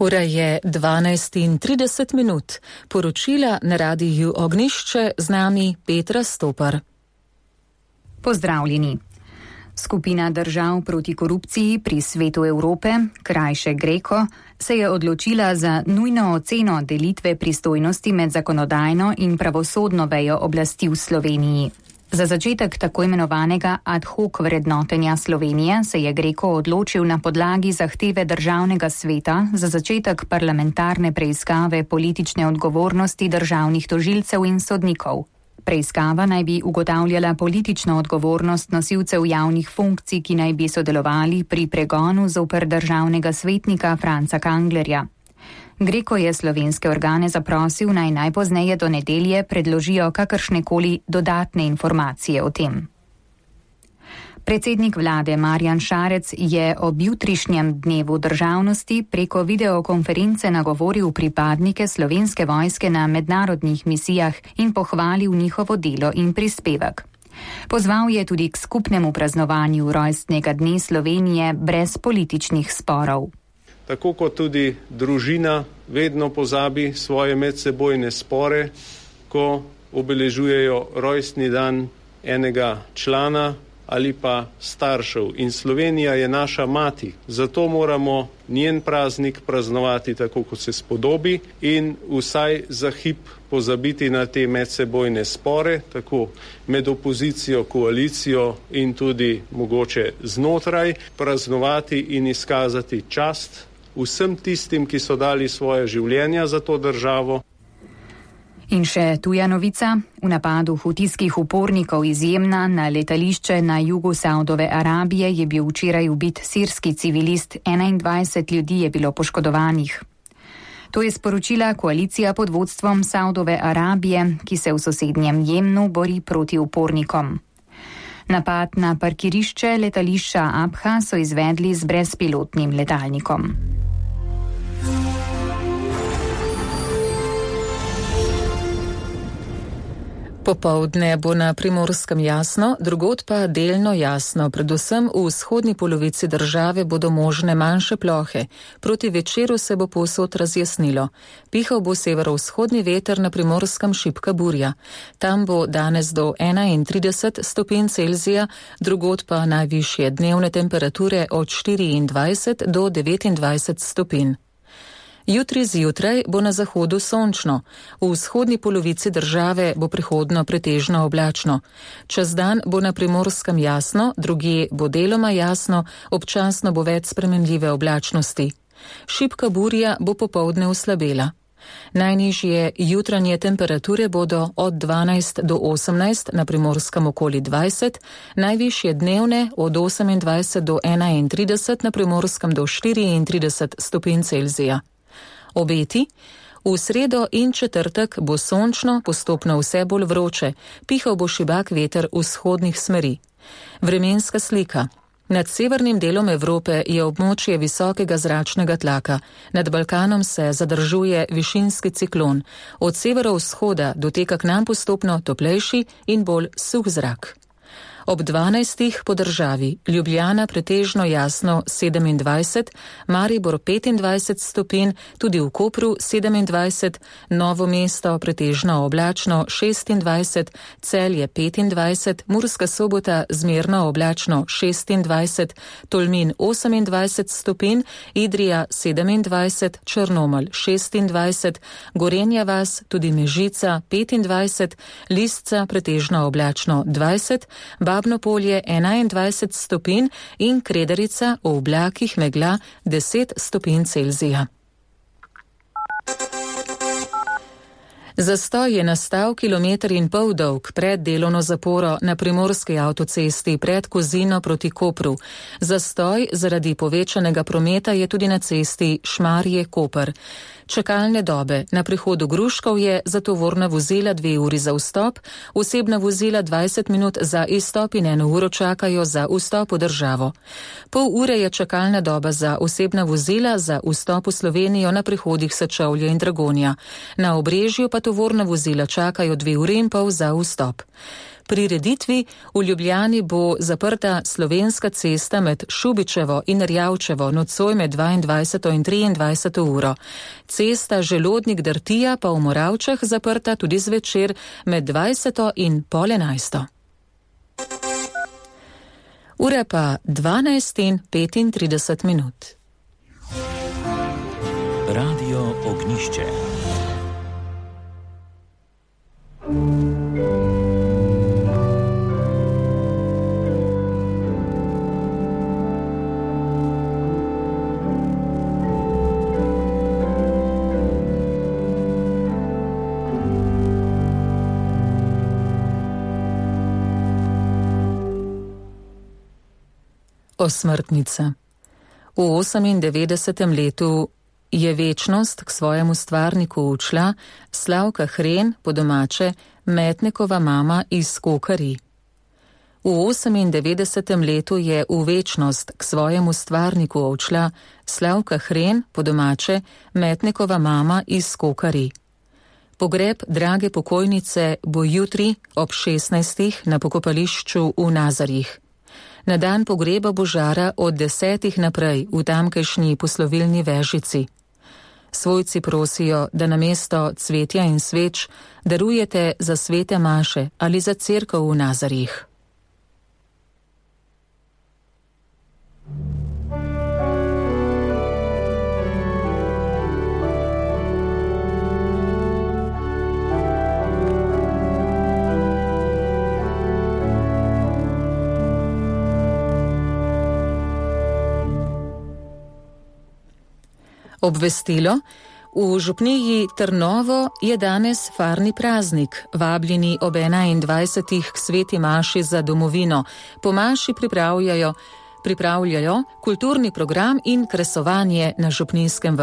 Ura je 12:30. Poročila na radiju Ognjišče, z nami Petra Stopar. Pozdravljeni. Skupina držav proti korupciji pri Svetu Evrope, krajše GRECO, se je odločila za nujno oceno delitve pristojnosti med zakonodajno in pravosodno vejo oblasti v Sloveniji. Za začetek tako imenovanega ad hoc vrednotenja Slovenije se je GRECO odločil na podlagi zahteve Državnega sveta za začetek parlamentarne preiskave politične odgovornosti državnih tožilcev in sodnikov. Preiskava naj bi ugotavljala politično odgovornost nosilcev javnih funkcij, ki naj bi sodelovali pri pregonu zoper državnega svetnika Franca Kanglerja. GRECO je slovenske organe zaprosil, naj najpozneje do nedelje predložijo kakršnekoli dodatne informacije o tem. Predsednik vlade Marjan Šarec je ob jutrišnjem dnevu državnosti preko videokonference nagovoril pripadnike Slovenske vojske na mednarodnih misijah in pohvalil njihovo delo in prispevek. Pozval je tudi k skupnemu praznovanju rojstnega dne Slovenije brez političnih sporov. Tako kot tudi družina vedno pozabi svoje medsebojne spore, ko obeležujejo rojstni dan enega člana ali pa staršev. In Slovenija je naša mati, zato moramo njen praznik praznovati tako, kot se spodobi in vsaj za hip pozabiti na te medsebojne spore, tako med opozicijo, koalicijo in tudi mogoče znotraj, praznovati in izkazati čast vsem tistim, ki so dali svoje življenja za to državo. In še tuja novica. V napadu hutijskih upornikov iz Jemna na letališče na jugu Saudove Arabije je bil včeraj ubit sirski civilist, 21 ljudi je bilo poškodovanih. To je sporočila koalicija pod vodstvom Saudove Arabije, ki se v sosednjem Jemnu bori proti upornikom. Napad na parkirišče letališča Abha so izvedli z brezpilotnim letalnikom. Popoldne bo na Primorskem jasno, drugod pa delno jasno. Predvsem v vzhodni polovici države bodo možne manjše plohe. Proti večeru se bo povsod razjasnilo. Pihal bo severovzhodni veter, na Primorskem šibka burja. Tam bo danes do 31 stopinj Celzija, drugod pa najvišje dnevne temperature od 24 do 29 stopinj. Jutri zjutraj bo na zahodu sončno, v vzhodni polovici države bo prihodno pretežno oblačno. Čez dan bo na Primorskem jasno, drugje bo deloma jasno, občasno bo več spremenljive oblačnosti. Šibka burja bo popoldne oslabela. Najnižje jutranje temperature bodo od 12 do 18, na Primorskem okoli 20, najvišje dnevne od 28 do 31, na Primorskem do 34 stopinj Celzija. Obeti. V sredo in četrtek bo sončno, postopno vse bolj vroče, pihal bo šibak veter vzhodnih smeri. Vremenska slika. Nad severnim delom Evrope je območje visokega zračnega tlaka. Nad Balkanom se zadržuje višinski ciklon. Od severovzhoda doteka k nam postopno toplejši in bolj suh zrak. Ob 12. po državi Ljubljana pretežno jasno 27, Maribor 25 stopinj, tudi v Kopru 27, Novo mesto pretežno oblačno 26, Celje 25, Murska Sobota zmerno oblačno 26, Tolmin 28 stopinj, Idrija 27, Črnomelj 26, Gorenja vas, tudi Mežica 25, Lisca pretežno oblačno 20, Babno Polje 21 stopinj in Kredarica v oblakih megla 10 stopinj Celzija. Zastoj je nastal 1,5 kilometra dolg pred delovno zaporo na primorski avtocesti pred Kozino proti Kopru. Zastoj zaradi povečanega prometa je tudi na cesti Šmarje-Koper. Čakalne dobe na prihodu Gruškovje za tovorna vozila 2 uri za vstop, osebna vozila 20 minut za izstop in 1 uro čakajo za vstop v državo. Pol ure je čakalna doba za osebna vozila za vstop v Slovenijo na prihodih Sečovlje in Dragonja. Na Obrežju pa tovorna vozila čakajo 2 uri in pol za vstop. prireditvi v Ljubljani bo zaprta Slovenska cesta med Šubičevo in Rjavčevo nocoj med 22. in 23. uro. Cesta Želodnik-Drtija pa v Moravčah zaprta tudi zvečer med 20. in pol 11. Ura pa 12:35 minut. Radio Ognišče. Osmrtnica. V 98. letu je večnost k svojemu stvarniku učla Slavka Hren, po domače Metnikova mama iz Kokarij. V 98. letu je v večnost k svojemu stvarniku odšla Slavka Hren, po domače Metnikova mama iz Kokarij. Pogreb drage pokojnice bo jutri ob 16. na pokopališču v Nazarjih. Na dan pogreba bo žara od 10. naprej v tamkajšnji poslovilni vežici. Svojci prosijo, da namesto cvetja in sveč darujete za svete maše ali za cerkev v Nazarjih. Obvestilo. V župniji Trnovo je danes farni praznik, vabljeni ob 21. k sveti maši za domovino. Po maši pripravljajo kulturni program in kresovanje na župninskem vrtu.